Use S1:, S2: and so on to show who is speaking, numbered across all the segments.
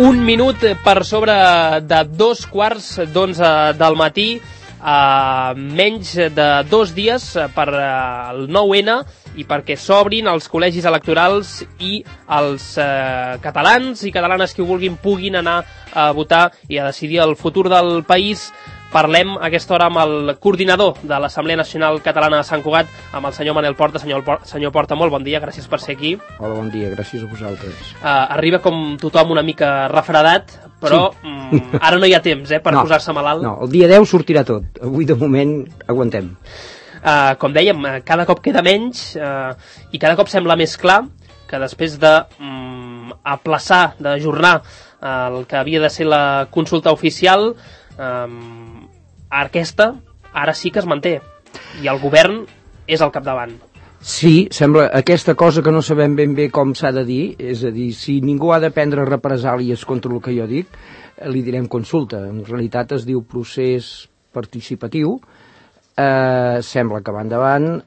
S1: Un minut per sobre de 2:15 del matí, menys de 2 dies per el 9-N i perquè s'obrin els col·legis electorals i els catalans i catalanes que ho vulguin puguin anar a votar i a decidir el futur del país. Parlem a aquesta hora amb el coordinador de l'Assemblea Nacional Catalana de Sant Cugat, amb el senyor Manel Porta. Senyor Porta, molt bon dia, gràcies per ser aquí.
S2: Hola, bon dia, gràcies a vosaltres.
S1: Arriba com tothom una mica refredat, però sí. Ara no hi ha temps per posar-se malalt.
S2: No, el dia 10 sortirà tot. Avui, de moment, aguantem.
S1: Com dèiem, cada cop queda menys i cada cop sembla més clar que després d'aplaçar, d'ajornar el que havia de ser la consulta oficial, aquesta ara sí que es manté i el govern és al capdavant.
S2: Sí, sembla aquesta cosa que no sabem ben bé com s'ha de dir, és a dir, si ningú ha de prendre represàlies contra el que jo dic, li direm consulta. En realitat es diu procés participatiu, sembla que va endavant,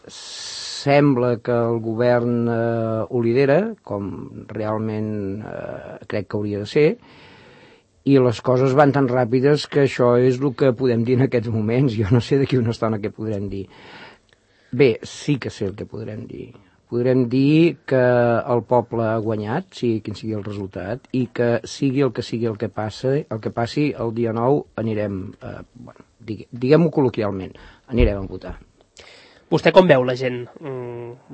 S2: sembla que el govern ho lidera, com realment crec que hauria de ser, i les coses van tan ràpides que això és el que podem dir en aquests moments. Jo no sé d'aquí una estona què podrem dir. Bé, sí que sé el que podrem dir. Podrem dir que el poble ha guanyat, sigui quin sigui el resultat, i que sigui el que passi el dia 9 anirem, diguem-ho col·loquialment, anirem a votar.
S1: Vostè com veu la gent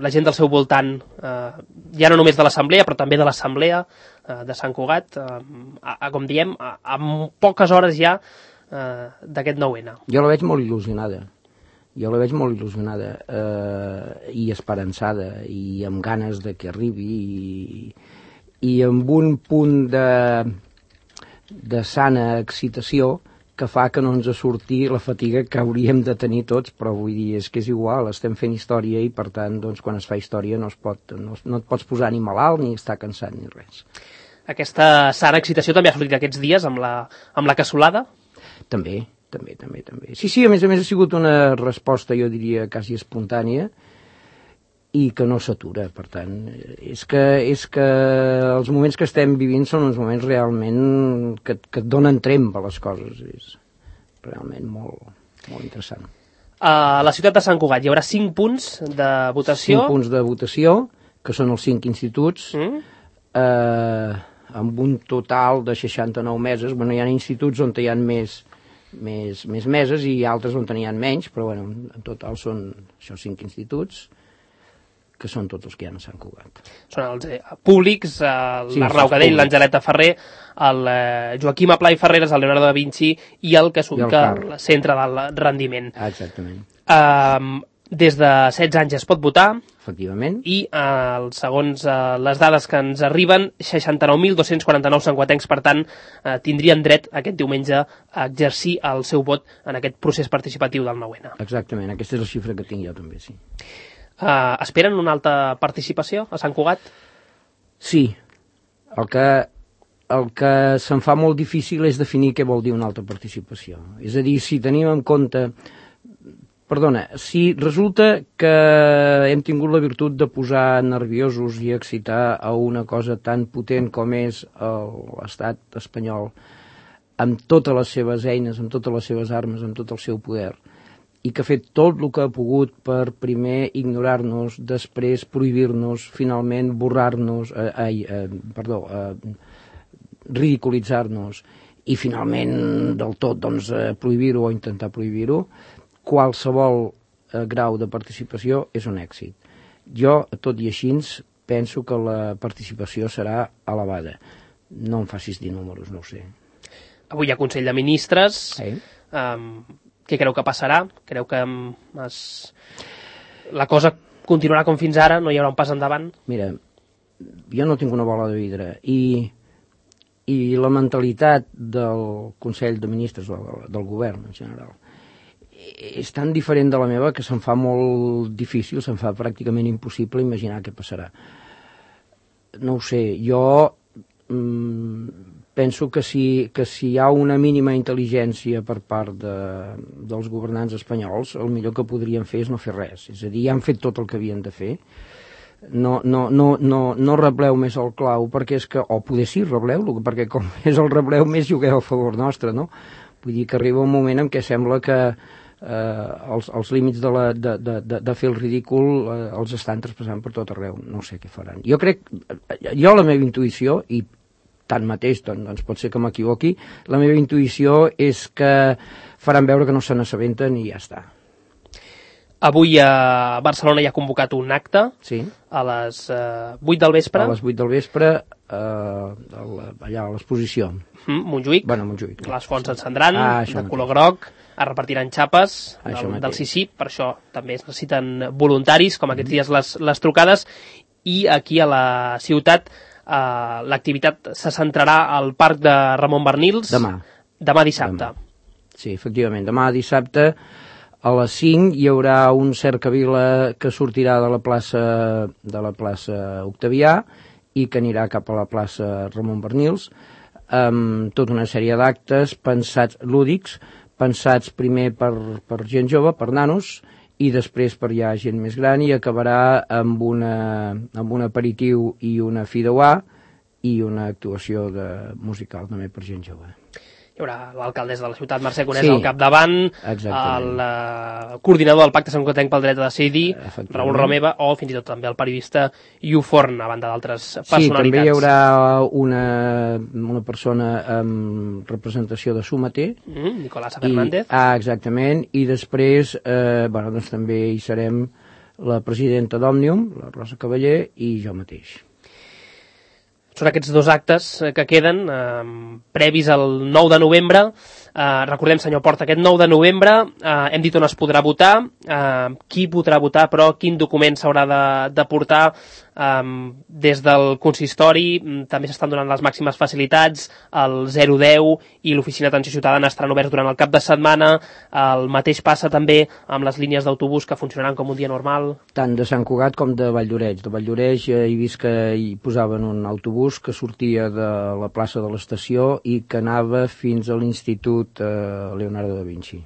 S1: del seu voltant, ja no només de l'Assemblea, però també de l'Assemblea de Sant Cugat, com diem, amb poques hores ja d'aquest 9-N?
S2: Jo la veig molt il·lusionada. I esperançada, i amb ganes de que arribi, i amb un punt de sana excitació que fa que no ens surti la fatiga que hauríem de tenir tots, però vull dir, és que és igual, estem fent història i per tant, doncs, quan es fa història no et pots posar ni malalt ni estar cansat ni res.
S1: Aquesta sana excitació també ha sortit aquests dies amb la cassolada?
S2: També. Sí, a més ha sigut una resposta, jo diria, quasi espontània i que no s'atura, per tant, és que els moments que estem vivint són uns moments realment que et donen tremp a les coses, és realment molt, molt interessant.
S1: A la ciutat de Sant Cugat hi haurà 5 punts de votació?
S2: 5 punts de votació, que són els 5 instituts, amb un total de 69 meses. Bueno, hi ha instituts on hi ha més meses i altres on n'hi ha menys, però bueno, en total són això 5 instituts, que són tots els que hi ha a Sant Cugat.
S1: Són els públics, l'Arnau Cadell, l'Angeleta Ferrer, el Joaquim Aplà i Ferreres, el Leonardo da Vinci i el que s'ubica al centre del rendiment.
S2: Exactament.
S1: Des de 16 anys es pot votar.
S2: Efectivament.
S1: I segons les dades que ens arriben, 69.249 santcugatencs, per tant, tindrien dret aquest diumenge a exercir el seu vot en aquest procés participatiu del 9-N.
S2: Exactament, aquesta és la xifra que tinc jo també, sí.
S1: Esperen una alta participació a Sant Cugat? Sí.
S2: El que se'm fa molt difícil és definir què vol dir una alta participació. És a dir, si tenim en compte... si resulta que hem tingut la virtut de posar nerviosos i excitar a una cosa tan potent com és l'estat espanyol, amb totes les seves eines, amb totes les seves armes, amb tot el seu poder, i que ha fet tot el que ha pogut per primer ignorar-nos, després prohibir-nos, finalment ridiculitzar-nos i finalment del tot prohibir-ho o intentar prohibir-ho, qualsevol grau de participació és un èxit. Jo, tot i així, penso que la participació serà elevada. No em facis dir números, no ho sé.
S1: Avui hi ha Consell de Ministres. Què creu que passarà? Creu que la cosa continuarà com fins ara? No hi haurà un pas endavant?
S2: Mira, jo no tinc una bola de vidre i la mentalitat del Consell de Ministres, del govern en general, és tan diferent de la meva que se'm fa molt difícil, se'm fa pràcticament impossible imaginar què passarà. No ho sé, jo penso que si hi ha una mínima intel·ligència per part dels governants espanyols, el millor que podrien fer és no fer res. És a dir, ja han fet tot el que havien de fer. no rebleu més el clau, perquè és que, o poder sí, rebleu-lo, perquè com més el rebleu, més jugueu a favor nostre, no? Vull dir que arriba un moment en què sembla que els límits de fer el ridícul els estan traspassant per tot arreu. No sé què faran. Jo la meva intuïció, i tanmateix, doncs pot ser que m'equivoqui, la meva intuïció és que faran veure que no se n'assabenten i ja està.
S1: Avui a Barcelona hi ha convocat un acte a les 8 del vespre.
S2: A les 8 del vespre, allà a l'exposició.
S1: Montjuïc.
S2: Bueno, Montjuïc.
S1: Les fonts s'encendran, de color groc, es repartiran xapes del CICIP, per això també es necessiten voluntaris, com aquests dies les trucades, i aquí a la ciutat l'activitat se centrarà al Parc de Ramon Barnils. Demà dissabte.
S2: Sí, efectivament, demà dissabte a les 5 hi haurà un cercavila que sortirà de la plaça Octavià i que anirà cap a la plaça Ramon Barnils, amb tota una sèrie d'actes pensats lúdics, pensats primer per gent jove, per nanos, i després per ja gent més gran, i acabarà amb un aperitiu i una fideuà i una actuació musical també per gent jove.
S1: Hi haurà l'alcaldessa de la ciutat, Mercè Conesa, al capdavant, el coordinador del Pacte Santcugatenc pel Dret a Decidir, Raül Romeva, o fins i tot també el periodista Iu Forn, a banda d'altres personalitats.
S2: Sí, també hi haurà una persona amb representació de Sumater.
S1: Nicolasa Fernández.
S2: Exactament, i després doncs també hi serem la presidenta d'Òmnium, la Rosa Cavaller, i jo mateix.
S1: Són aquests dos actes que queden previs al 9 de novembre. Recordem, senyor Porta, aquest 9 de novembre hem dit on es podrà votar, qui podrà votar, però quin document s'haurà de portar. Des del consistori també s'estan donant les màximes facilitats, el 010 i l'oficina d'atenció ciutadana estaran oberts durant el cap de setmana. El mateix passa també amb les línies d'autobús que funcionaran com un dia normal.
S2: Tant de Sant Cugat com de Valldoreix. De Valldoreix he vist que hi posaven un autobús que sortia de la plaça de l'estació i que anava fins a l'Institut Leonardo da Vinci.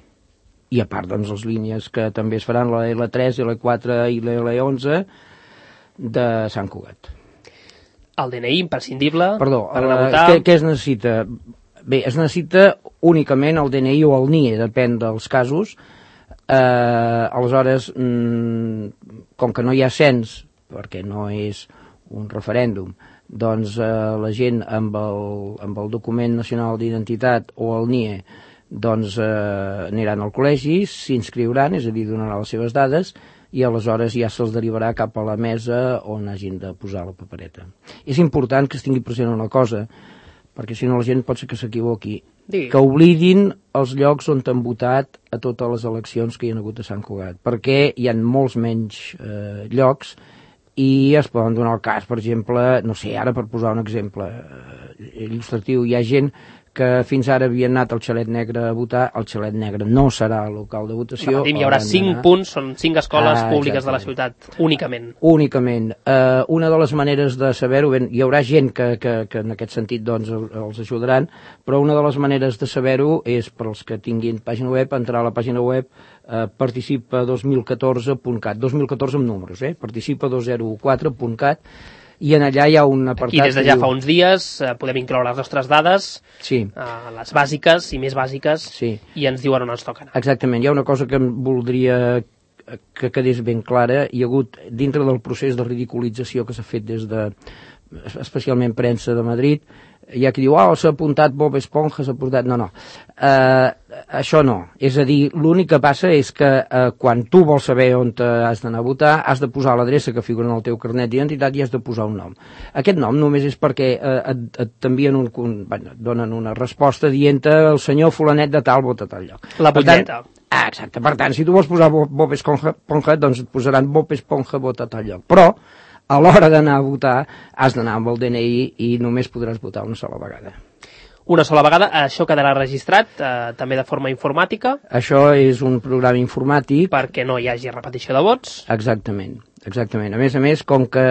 S2: I a part, doncs, les línies que també es faran, la L3, L4 i la L11 de Sant Cugat.
S1: El DNI imprescindible.
S2: Perdó,
S1: per anar a votar.
S2: Què es necessita? Bé, es necessita únicament el DNI o el NIE, depèn dels casos. Aleshores, com que no hi ha cens, perquè no és un referèndum, doncs la gent amb el document nacional d'identitat o el NIE doncs aniran al col·legi, s'inscriuran, és a dir, donaran les seves dades, i aleshores ja se'ls derivarà cap a la mesa on hagin de posar la papereta. És important que es tingui present una cosa, perquè si no la gent pot ser que s'equivoqui, que oblidin els llocs on han votat a totes les eleccions que hi ha hagut a Sant Cugat, perquè hi ha molts menys llocs i es poden donar el cas, per exemple, no sé, ara per posar un exemple il·lustratiu, hi ha gent que fins ara havien anat al Xalet Negre a votar. El Xalet Negre no serà el local de votació.
S1: Hi haurà 5 punts, són 5 escoles públiques de la ciutat, únicament.
S2: Únicament. Una de les maneres de saber-ho, hi haurà gent que en aquest sentit doncs, els ajudaran, però una de les maneres de saber-ho és per als que tinguin pàgina web, entrar a la pàgina web participa2014.cat, 2014 amb números, participa204.cat, i en allà hi ha un apartat...
S1: Aquí des de ja fa uns dies podem incloure les nostres dades, les bàsiques i més bàsiques, i ens diuen on ens toca anar.
S2: Exactament, hi ha una cosa que em voldria que quedés ben clara. Hi ha hagut, dintre del procés de ridiculització que s'ha fet des de, especialment premsa de Madrid, hi ha qui diu, s'ha apuntat Bob Esponja, s'ha apuntat... No. Això no. És a dir, l'únic que passa és que quan tu vols saber on has d'anar a votar, has de posar l'adreça que figura en el teu carnet d'identitat i has de posar un nom. Aquest nom només és perquè t'envien donen una resposta dient-te el senyor fulanet de tal vota a tal lloc.
S1: La butlleta.
S2: Exacte. Per tant, si tu vols posar Bob Esponja, doncs et posaran Bob Esponja vota a tal lloc. Però a l'hora d'anar a votar has d'anar amb el DNI i només podràs votar una sola vegada.
S1: Una sola vegada, això quedarà registrat també de forma informàtica?
S2: Això és un programa informàtic.
S1: Perquè no hi hagi repetició de vots?
S2: Exactament. A més, com que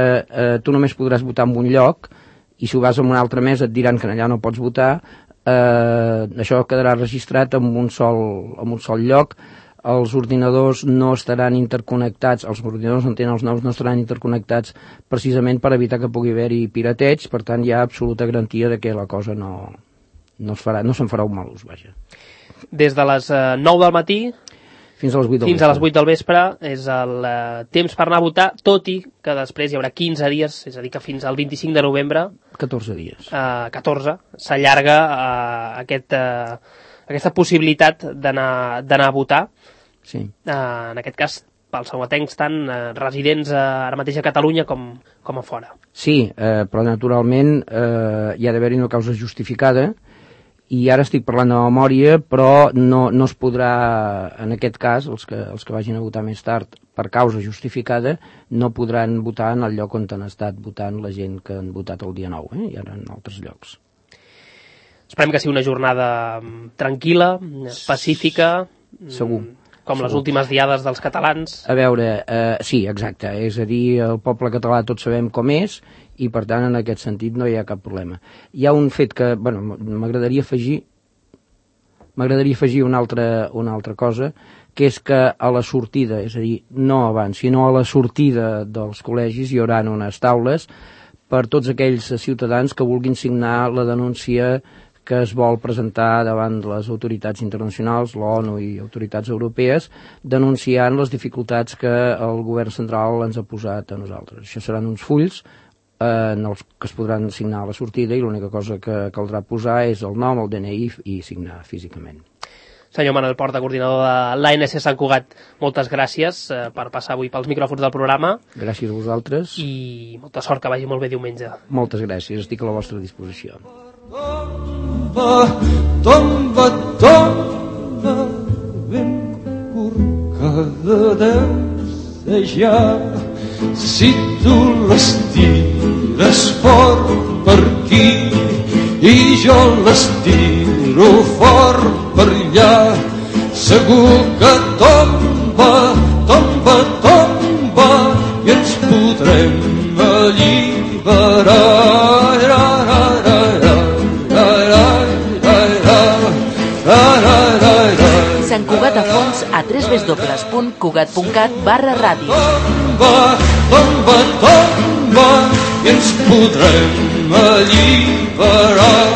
S2: tu només podràs votar en un lloc, i si ho vas a una altra mesa et diran que allà no pots votar, això quedarà registrat en un sol lloc. els ordinadors no estaran interconnectats, els ordinadors on tenen els nous no estaran interconnectats precisament per evitar que pugui haver-hi pirateig, per tant hi ha absoluta garantia de que la cosa no se'n farà un mal ús, vaja.
S1: Des de les 9 del matí
S2: fins a les 8 del
S1: fins a les 8 del vespre és el temps per anar a votar, tot i que després hi haurà 15 dies, és a dir, que fins al 25 de novembre
S2: 14 dies
S1: 14, s'allarga aquesta possibilitat d'anar a votar.
S2: Sí.
S1: En aquest cas, pels sauatencs, tant residents ara mateix a Catalunya com a fora.
S2: Sí, però naturalment hi ha d'haver-hi una causa justificada, i ara estic parlant de memòria, però no es podrà, en aquest cas, els que vagin a votar més tard per causa justificada, no podran votar en el lloc on han estat votant la gent que han votat el dia 9, i ara en altres llocs.
S1: Esperem que sigui una jornada tranquil·la, pacífica,
S2: segur,
S1: com les últimes diades dels catalans.
S2: A veure, sí, exacte, és a dir, el poble català tots sabem com és, i per tant en aquest sentit no hi ha cap problema. Hi ha un fet que, bueno, m'agradaria afegir una altra cosa, que és que a la sortida, és a dir, no abans, sinó a la sortida dels col·legis hi haurà unes taules per tots aquells ciutadans que vulguin signar la denúncia que es vol presentar davant les autoritats internacionals, l'ONU i autoritats europees, denunciant les dificultats que el govern central ens ha posat a nosaltres. Això seran uns fulls en els que es podran signar a la sortida i l'única cosa que caldrà posar és el nom, el DNI i signar físicament.
S1: Senyor Manuel Porta, coordinador de l'ANC Sant Cugat, moltes gràcies per passar avui pels micròfons del programa.
S2: Gràcies a vosaltres.
S1: I molta sort, que vagi molt bé diumenge.
S2: Moltes gràcies, estic a la vostra disposició.
S3: Tomba, tomba, ben corcada deu ser ja. Si tu les tires fort per aquí i jo les tiro fort per allà, segur que tomba, tomba, tomba i ens podrem alliberar.
S4: Sant Cugat a fons a www.cugat.cat/ràdio.
S3: Tomba, tomba, tomba i ens podrem alliberar.